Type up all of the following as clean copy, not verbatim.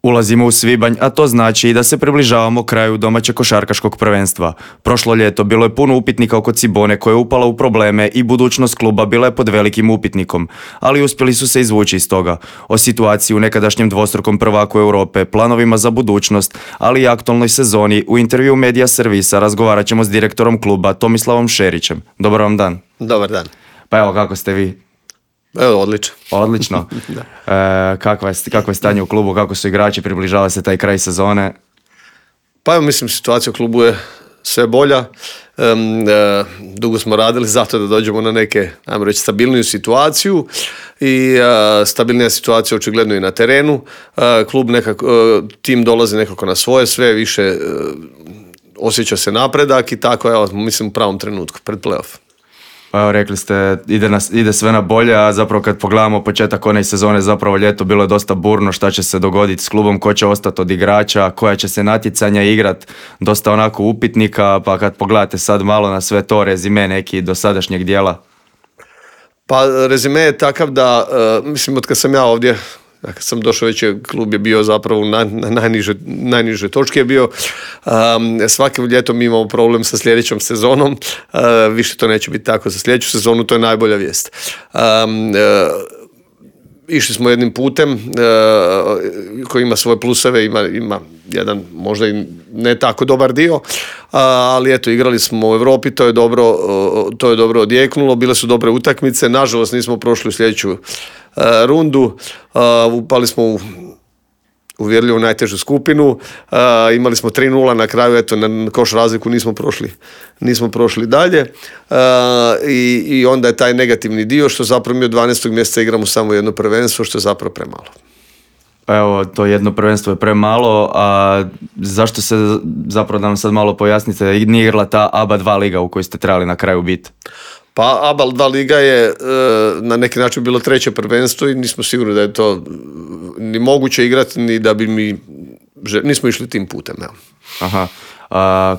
Ulazimo u svibanj, a to znači i da se približavamo kraju domaćeg košarkaškog prvenstva. Prošlo ljeto bilo je puno upitnika oko Cibone koja je upala u probleme i budućnost kluba bila je pod velikim upitnikom, ali uspjeli su se izvući iz toga. O situaciji u nekadašnjem dvostrukom prvaku Europe, planovima za budućnost, ali i aktualnoj sezoni u intervju Media Servisa razgovarat ćemo s direktorom kluba Tomislavom Šerićem. Dobar vam dan. Dobar dan. Pa evo, kako ste vi? Evo, odlično. Odlično. Kakvo je stanje u klubu, kako su igrači, približava se taj kraj sezone? Pa evo, mislim, situacija u klubu je sve bolja. Dugo smo radili zato da dođemo na neke, ajmo reći, stabilniju situaciju i stabilnija situacija očigledno i na terenu. Klub nekako, tim dolazi nekako na svoje, sve više osjeća se napredak i tako, evo, mislim, u pravom trenutku, pred playoff. Pa evo, rekli ste, ide sve na bolje, a zapravo kad pogledamo početak one sezone, zapravo ljeto bilo je dosta burno, šta će se dogoditi s klubom, ko će ostati od igrača, koja će se natjecanja igrat, dosta onako upitnika, pa kad pogledate sad malo na sve to, rezime neki dosadašnjeg dijela. Pa rezime je takav da, mislim, od kad sam ja ovdje, kad sam došao već klub je bio zapravo na najniže točke je bio. Svake ljeto mi imamo problem sa sljedećom sezonom. Više to neće biti tako za sljedeću sezonu, to je najbolja vijest. Išli smo jednim putem koji ima svoje pluseve, ima jedan možda i ne tako dobar dio, ali eto, igrali smo u Europi, to je dobro odjeknulo, bile su dobre utakmice, nažalost nismo prošli u sljedeću rundu, upali smo u uvjerljivo najtežu skupinu, imali smo 3-0 na kraju, eto, na koš razliku nismo prošli dalje, i onda je taj negativni dio što zapravo mi od 12. mjeseca igramo samo jedno prvenstvo, što je zapravo premalo. Evo, to jedno prvenstvo je premalo, a zašto se, zapravo da nam sad malo pojasnite, nije igrala ta ABA 2 liga u kojoj ste trebali na kraju biti? Pa ABA 2 liga je na neki način bilo treće prvenstvo i nismo sigurni da je to ni moguće igrati, ni da bi nismo išli tim putem. Ja. Aha.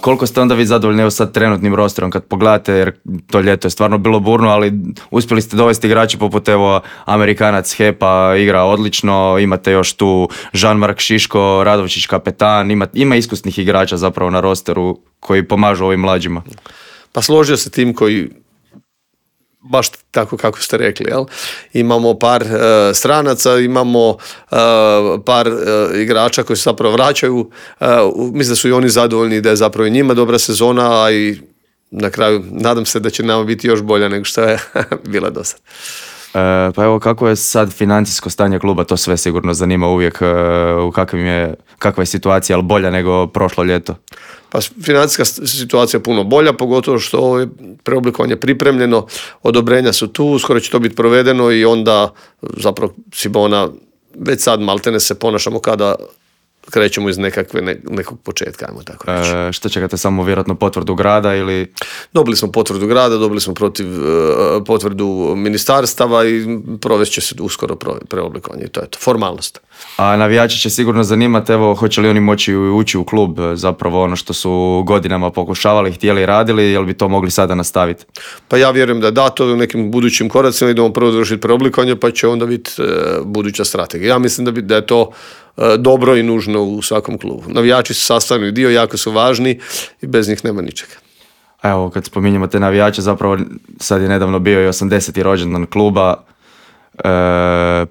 Koliko ste onda vi zadovoljni evo sad trenutnim rosterom kad pogledate, jer to ljeto je stvarno bilo burno, ali uspjeli ste dovesti igrači poput evo Amerikanac Hepa igra odlično, imate još tu Jean-Marc Šiško, Radovčić kapetan, ima iskusnih igrača zapravo na rosteru koji pomažu ovim mlađima. Pa složio se tim koji baš tako kako ste rekli, jel? Imamo par stranaca, imamo par igrača koji se zapravo vraćaju, mislim da su i oni zadovoljni da je zapravo i njima dobra sezona, a i na kraju nadam se da će nama biti još bolja nego što je bila do sad. Pa evo, kako je sad financijsko stanje kluba, to sve sigurno zanima uvijek, kakva je situacija, ali bolja nego prošlo ljeto? Pa financijska situacija je puno bolja, pogotovo što je preoblikovanje pripremljeno, odobrenja su tu, skoro će to biti provedeno i onda zapravo Cibona već sad maltene se ponašamo kada krećemo iz nekog početka, ajmo tako reći. Što čekate, samo vjerojatno potvrdu grada ili? Dobili smo potvrdu grada, dobili smo potvrdu ministarstava i provest će se uskoro preoblikovanje i to je to, formalnost. A navijači će sigurno zanimati, evo, hoće li oni moći ući u klub, zapravo ono što su godinama pokušavali, htjeli i radili, jel bi to mogli sada nastaviti? Pa ja vjerujem da to u nekim budućim koracima idemo prvo dovršiti preoblikovanje, pa će onda biti buduća strategija. Ja mislim da je to dobro i nužno u svakom klubu. Navijači su sastavni dio, jako su važni i bez njih nema ničega. Evo, kad spominjemo te navijače, zapravo sad je nedavno bio i 80. rođendan kluba,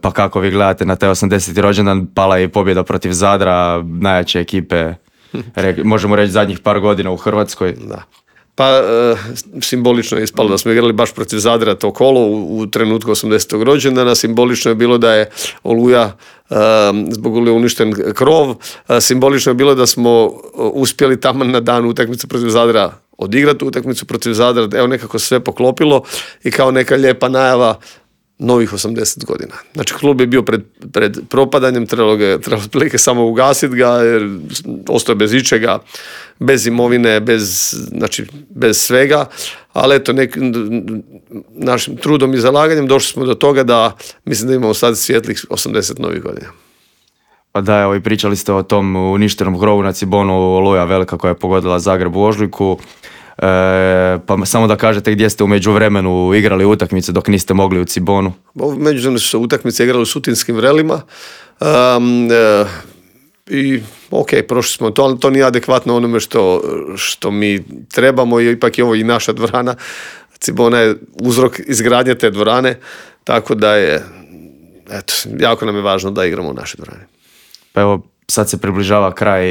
pa kako vi gledate na taj 80. rođendan, pala je i pobjeda protiv Zadra, najjače ekipe, možemo reći zadnjih par godina u Hrvatskoj. Da. Pa simbolično je ispalo da smo igrali baš protiv Zadra to kolo u trenutku 80. rođendana. Simbolično je bilo da je zbog Oluje uništen krov. Simbolično je bilo da smo uspjeli tamo na dan utakmice protiv Zadra odigrati utakmicu protiv Zadra. Evo, nekako sve poklopilo i kao neka lijepa najava novih 80 godina. Znači, klub je bio pred propadanjem, trebalo otprilike samo ugasiti ga, jer ostao je bez ičega, bez imovine, bez svega, ali eto, našim trudom i zalaganjem došli smo do toga da mislim da imamo sad svijetlih 80 novih godina. Pa da, evo, i pričali ste o tom uništenom krovu na Cibonu, Oluja velika koja je pogodila Zagreb u ožujku. Pa samo da kažete gdje ste u međuvremenu igrali utakmice dok niste mogli u Cibonu. Međuvremenu su se utakmice igrali u Sutinskim Vrelima. i ok, prošli smo to, ali to nije adekvatno onome što mi trebamo i ipak je ovo i naša dvorana. Cibona je uzrok izgradnje te dvorane, tako da je, eto, jako nam je važno da igramo u našoj dvorani. Pa evo, sad se približava kraj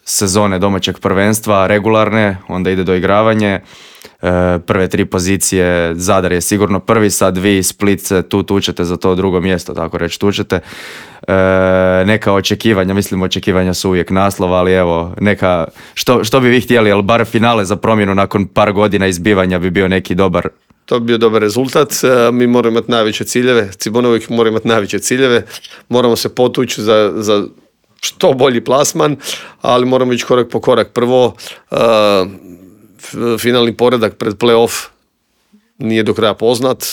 sezone domaćeg prvenstva, regularne, onda ide doigravanje. Prve 3 pozicije, Zadar je sigurno prvi, sad vi Split se tu tučete za to drugo mjesto, tako reći tučete. Neka očekivanja, mislim očekivanja su uvijek naslova, ali evo, neka, što bi vi htjeli, ali bar finale za promjenu nakon par godina izbivanja bi bio neki dobar. To bi bio dobar rezultat, mi moramo imati najveće ciljeve, Cibona uvijek mora imati najveće ciljeve, moramo se potući za što bolji plasman, ali moramo ići korak po korak. Prvo, finalni poredak pred play-off nije do kraja poznat,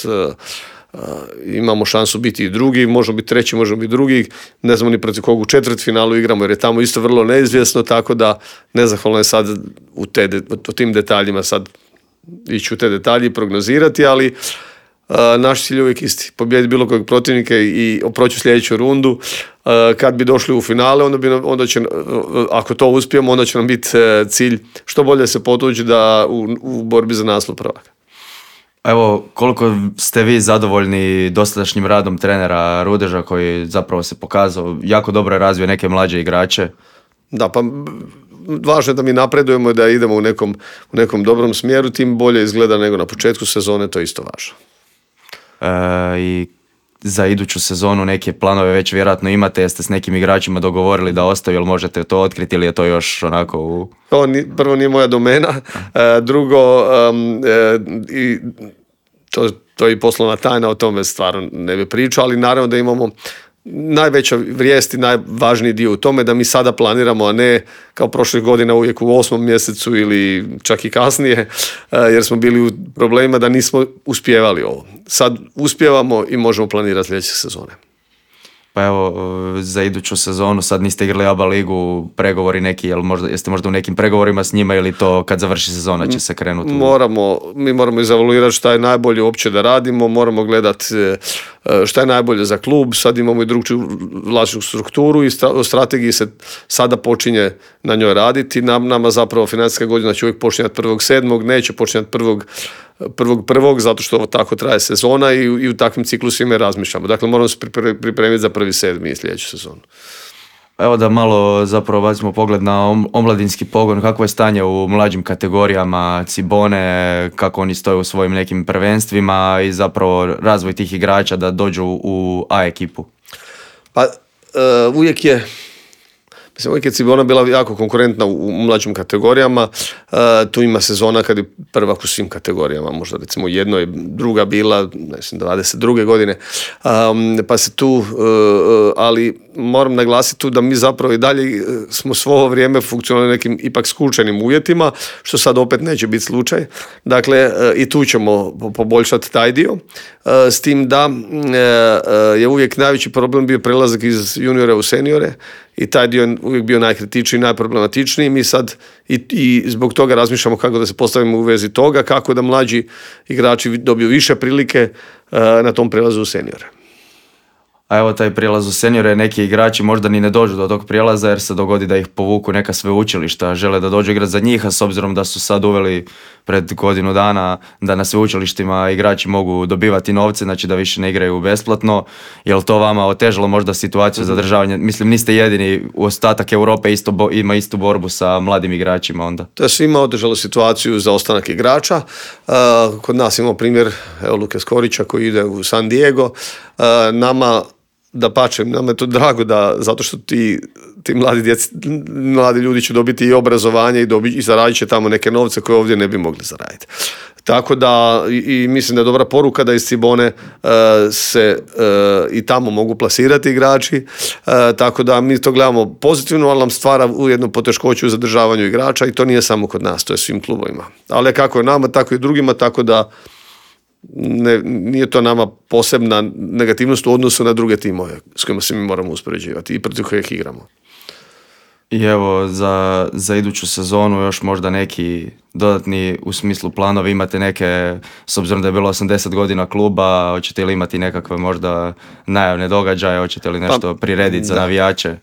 imamo šansu biti i drugi, možemo biti treći, možemo biti drugi, ne znamo ni protiv kog u četvrtfinalu igramo jer je tamo isto vrlo neizvjesno, tako da nezahvalno je sad u tim detaljima sad ići u te detalje i prognozirati, ali naš cilj je uvijek isti, pobijediti bilo kojeg protivnika i proći sljedeću rundu. Kad bi došli u finale, onda će, ako to uspijemo, onda će nam biti cilj što bolje se potući da u borbi za naslov prvaka. Evo, koliko ste vi zadovoljni dosadašnjim radom trenera Rudeža koji zapravo se pokazao, jako dobro je razvio neke mlađe igrače? Da, pa važno je da mi napredujemo i da idemo u nekom dobrom smjeru, tim bolje izgleda nego na početku sezone, to je isto važno. I za iduću sezonu neke planove već vjerojatno imate, jeste s nekim igračima dogovorili da ostaju, ili možete to otkriti ili je to još onako u... Prvo nije moja domena, drugo to je i poslovna tajna, o tome stvarno ne bi pričao, ali naravno da imamo najveća vijest i najvažniji dio u tome da mi sada planiramo, a ne kao prošlih godina uvijek u 8. mjesecu ili čak i kasnije, jer smo bili u problemima da nismo uspjevali ovo. Sad uspijevamo i možemo planirati sljedeće sezone. Pa evo, za iduću sezonu sad niste igrali ABA ligu, pregovori neki, jeste možda u nekim pregovorima s njima ili to kad završi sezona će se krenuti? Mi moramo izevaluirati šta je najbolje uopće da radimo, moramo gledati šta je najbolje za klub, sad imamo i drugčiju vlasničku strukturu i o strategiji se sada počinje na njoj raditi. Nama zapravo financijska godina će uvijek počinjati 1.7., neće počinjati 1.1. zato što ovo tako traje sezona i u takvim ciklusima razmišljamo. Dakle, moramo se pripremiti za 1.7. i sljedeću sezonu. Evo da malo zapravo bacimo pogled na omladinski pogon, kako je stanje u mlađim kategorijama Cibone, kako oni stoje u svojim nekim prvenstvima i zapravo razvoj tih igrača da dođu u A ekipu. Pa uvijek je Cibona bila jako konkurentna u mlađim kategorijama, tu ima sezona kad je prvak u svim kategorijama, možda recimo jedno je druga bila, 22. godine, pa se tu, ali moram naglasiti tu da mi zapravo i dalje smo svo ovo vrijeme funkcionali nekim ipak skučenim uvjetima, što sad opet neće biti slučaj. Dakle, i tu ćemo poboljšati taj dio, s tim da je uvijek najveći problem bio prelazak iz juniora u seniore, i taj dio je uvijek bio najkritičniji, najproblematičniji. Mi sad i zbog toga razmišljamo kako da se postavimo u vezi toga, kako da mlađi igrači dobiju više prilike na tom prelazu u seniore. A evo taj prijelaz u seniore, neki igrači možda ni ne dođu do tog prijelaza jer se dogodi da ih povuku neka sveučilišta, žele da dođu igrati za njih, a s obzirom da su sad uveli pred godinu dana da na sveučilištima igrači mogu dobivati novce, znači da više ne igraju besplatno, je li to vama otežalo možda situaciju zadržavanja? Mislim, niste jedini, ostatak Europe ima istu borbu sa mladim igračima onda. To je svima otežalo situaciju za ostanak igrača. Kod nas imamo primjer Luke Skorića koji ide u San Diego. Nama je to drago zato što ti mladi ljudi će dobiti i obrazovanje i zaradit će tamo neke novce koje ovdje ne bi mogli zaraditi. Tako da i mislim da je dobra poruka da iz Cibone se i tamo mogu plasirati igrači, tako da mi to gledamo pozitivno, ali nam stvara ujedno poteškoću u zadržavanju igrača i to nije samo kod nas, to je svim klubovima. Ali kako je nama, tako i drugima, tako da nije to nama posebna negativnost u odnosu na druge timove s kojima se mi moramo uspoređivati i protiv kojih igramo. I evo, za iduću sezonu još možda neki dodatni u smislu planovi, imate neke, s obzirom da je bilo 80 godina kluba, hoćete li imati nekakve možda najavne događaje, hoćete li nešto prirediti za navijače?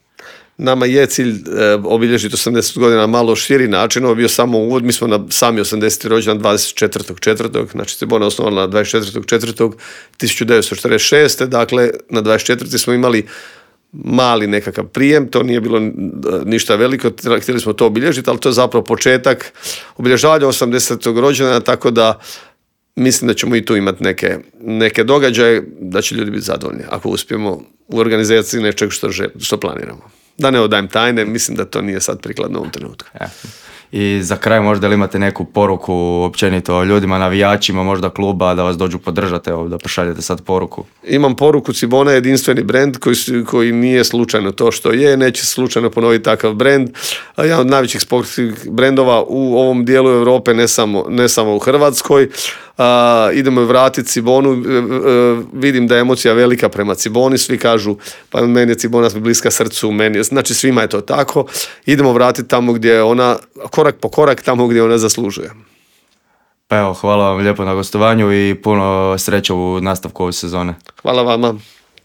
nama je cilj obilježiti 80 godina malo širi način, ovo je bio samo uvod, mi smo na sami 80. rođendan 24.4. Znači Cibona je osnovana 24.4.1946. Dakle, na 24. smo imali mali nekakav prijem, to nije bilo ništa veliko, htjeli smo to obilježiti, ali to je zapravo početak obilježavanja 80. rođendana, tako da mislim da ćemo i tu imati neke događaje, da će ljudi biti zadovoljni ako uspijemo u organizaciji nečeg što planiramo. Da ne odajem tajne, mislim da to nije sad prikladno u ovom trenutku. I za kraj možda li imate neku poruku općenito ljudima, navijačima možda kluba da vas dođu podržati, evo da pošaljete sad poruku? Imam poruku, Cibona je jedinstveni brend koji nije slučajno to što je, neće slučajno ponoviti takav brend. Jedan od najvećih sportskih brendova u ovom dijelu Europe, ne samo u Hrvatskoj. Idemo vratiti Cibonu, vidim da je emocija velika prema Ciboni, svi kažu pa meni je Cibona bliska srcu, znači svima je to tako, idemo vratiti tamo gdje je ona, korak po korak tamo gdje ona zaslužuje. Pa evo, hvala vam lijepo na gostovanju i puno sreće u nastavku ove sezone. Hvala vama.